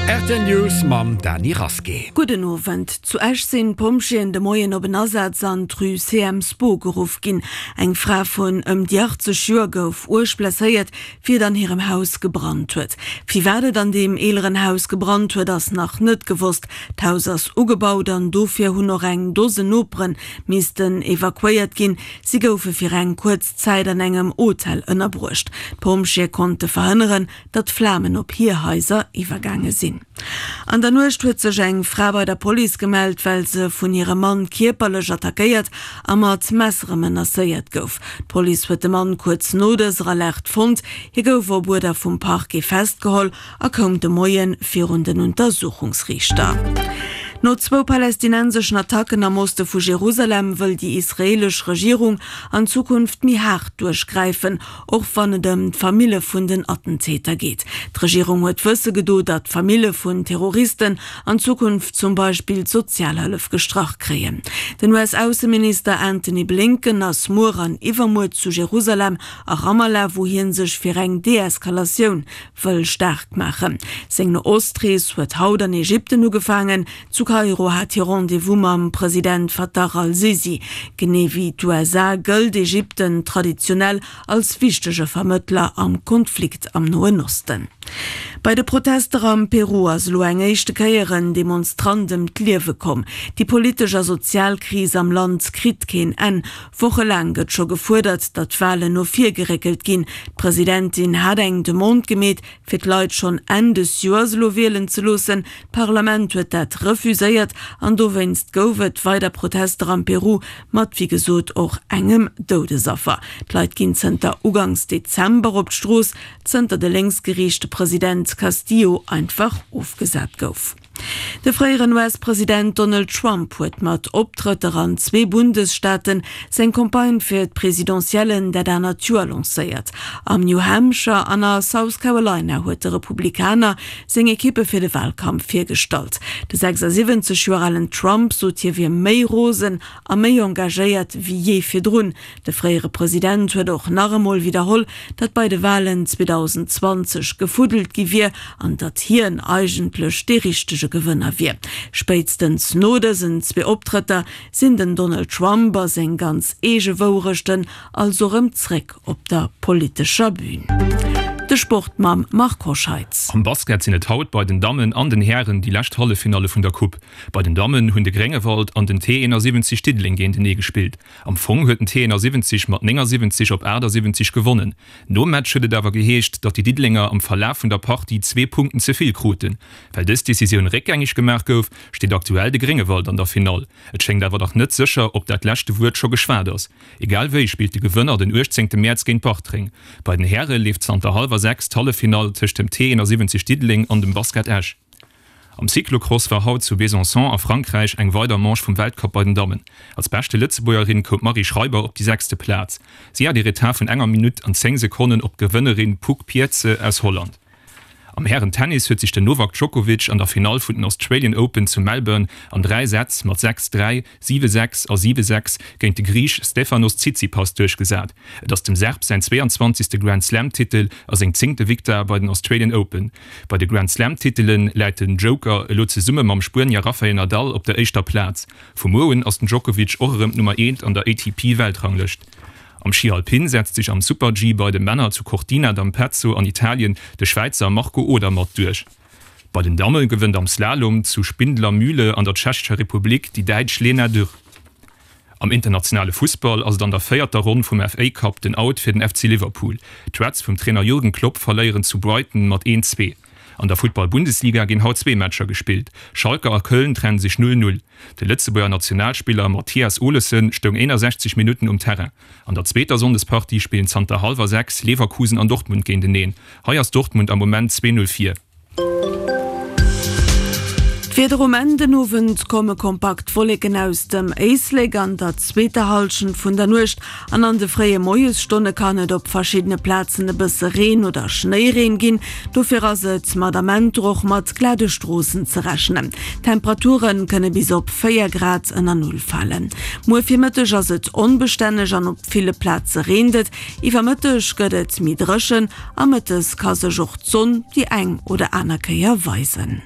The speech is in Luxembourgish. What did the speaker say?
Rtl News mam Dany Rasqué. Gudden Owend. Zu Esch sinn d'Pompjeeën de Moien op en Asaz an d'Rue CM Spo geruff ginn. Eng Fra vun ëm déi 80 Joer gouf uerg blesséiert, wéi et an hirem Haus gebrannt huet. Firwat et an deem eeleren Haus gebrannt huet, ass nach net gewosst. D'Haus ass ugebaut an dofir hunn och eng Dose Nopere missten evakuéiert ginn. Si goufe fir eng kuerz Zäit an engem Hotel ënnerbruecht. D'Pompjeeë konnte verhënneren, datt Flamen op hir Haiser iwwergaange sinn. An der Nuecht huet sech eng Fra bei der Police gemellt, well se vun hirem Mann kierperlech attackéiert a mat Messere menacéiert gouf. D'Police huet de Mann kuerz no dëser Alerte fonnt. Hie gouf op Uerder vum Parquet festgeholl a koum de Moie virun den Untersuchungsriichter. No zwou palästinenseschen Attacken am Oste vu Jerusalem wëll déi israeelesch Regierung an Zukunft méi haart duerchgräifen, och wann et ëm d'Famille vun den Attentäter geet. D'Regierung huet wësse gedo, datt d'Famille vun Terroristen an Zukunft zum Beispill d'Sozialhëllef gestrach kréien. Den US-Ausseminister Antony Blinken ass muer an iwwermuer zu Jerusalem a Ramallah, wou hie sech fir eng Deeskalatioun wëll staark maachen. Seng No-Ost-Rees huet haut an Ägypten ugefaangen. Zu Kairo hat hie Rendez-vous mam President Fattah al-Sisi. Genee wéi d'USA gëllt Ägypten traditionell als wichtege Vermëttler am Konflikt am Noen Osten. Bei de Protester am Peru ass elo eng éischte Kéier en Demonstrant ëm d'Liewe komm. Déi politesch a sozial Kris am Land kritt keen Enn. Wochelaang gëtt scho gefuerdert, datt d'Walen no vir geréckelt ginn. D'Presidentin hat eng Demande gemeet, fir d'Leit schonn Enn des Joers elo wielen ze loossen. D'Parlament huet dat refuséiert an dowéinst gouf et weider Protester am Peru, mat wéi gesot och engem Doudesaffer. D'Leit ginn zënter ugangs Dezember op d'Strooss, zënter de lénksgeriichte President Castillo einfach ofgesat gouf. De fréieren US-President Donald Trump huet mat Optrëtter an zwee Bundesstaaten seng Campagne fir d'Presidentiellen dat anert Joer lancéiert. Am New Hampshire an a South Carolina huet de Republikaner seng Ekippe fir de Walkampf virgestallt. De 76 Joer alen Trump sot hie wier méi rosen a méi engagéiert wéi jee virdrun. De fréiere President huet och nach emol widderholl, datt bei de Walen 2020 gefuddelt gi wier an datt hien eigentlech dee richtege Gewënner wier. Spéitstens no dësen zwee Optrëtter sinn den Donald Trump a seng ganz eege Wourechten also rëm zréck op der politescher Bün. De Sport mam Marc Hoscheitz. Am Basket sinn et haut bei den Dammen an den Hären déi lescht Halleffinalle vun der Coupe. Bei den Dammen hunn de Gréngewald an den T 71 Diddeleng géintenee gespillt. Am Fong huet den T 71 mat 79 op 78 gewonnen. Nom Match huet et awer geheescht, datt déi Diddelenger am Verlaf vun der Partie zwee Punkten ze vill kruten. Well dës Decisioun réckgängeg gemaach gouf, steet aktuell de Gréngewald an der Finall. Et schéngt awer nach net sécher, ob dat leschte Wuert scho geschwat ass. Egal wéi spillt de Gewënner den 18 Mäerz géint Bartreng. Bei den Häre leeft zanter hallwer 6 d'Halleffinall tëscht dem T 71 Diddeleng an dem Basket Esch. Am Cyclocross war haut zu Besançon a Frankräich eng weider Manche vum Weltcup bei den Dammen. Als beschte Lëtzebuergerin koum d'Marie Schreiber op déi sechste Plaz. Si hat ee Retard vun enger Minutt an 10 Sekonnen op d'Gewënnerin Puck Pierze aus Holland. Am Hären-Tennis huet sech den Novak Djokovic an der Finall vun den Australian Open zu Melbourne an 3 Sätz mat 6, 3, 7, 6 a 7, 6 géint de Griich Stefanos Tsitsipas duerchgesat. Et ass dem Serb säin 22. Grand-Slam-Titel a seng zéngte Victoire bei den Australian Open. Bei de Grand-Slam-Titele läit den Joker elo zesumme mam Spuenier Rafael Nadal op der éischter Plaz. Vu muer un ass den Djokovic och erëm d'Nummer eent an der ATP-Weltranglëscht. Am Schi Alpin setzt sech am Super-G bei de Männer zu Cortina d'Ampezzo an Italien de Schwäizer Marco Odermatt duerch. Bei den Damme gewënnt am Slalom zu Spindlermühle an der Tschechescher Republik déi Däitsch Lena Dürr. Am internationale Fussball ass et an der véierter Ronn vum FA Cup den Out fir den FC Liverpool. D'Reds vum Trainer Jürgen Klopp verléieren zu Brighton mat 1, 2. An der Futtball-Bundesliga ginn haut zwee Matcher gespillt. Schalke a Köln trenne sech 0, 0. De Lëtzebuerger Nationalspiller Mathias Olesen stoung 61 Minutten um Terrain. An der zweeter Sonndespartie spillen zanter hallwer 6 Leverkusen an Dortmund géinteneen. Hei ass Dortmund am Moment 2, 0 vir. D'Wieder um Enn den Owend komme kompakt Wolleken aus dem Éislek. An der zweeter Hallschent vun der Nuecht an an de fréie Moiesstonne kann et op verschiddene Plazen e bësse Reen oder Schnéireen ginn. Dofir ass et mat Amenter och mat glade Stroossen ze rechnen. D'Temperature kënne bis op 4 Grad ënner Null falen. Muer Virmëtteg ass et onbestänneg an op ville Plaze reent et. Iwwer Mëtteg gëtt et méi dréchen a mëttes ka sech och d'Sonn déi eng oder aner Kéier weisen.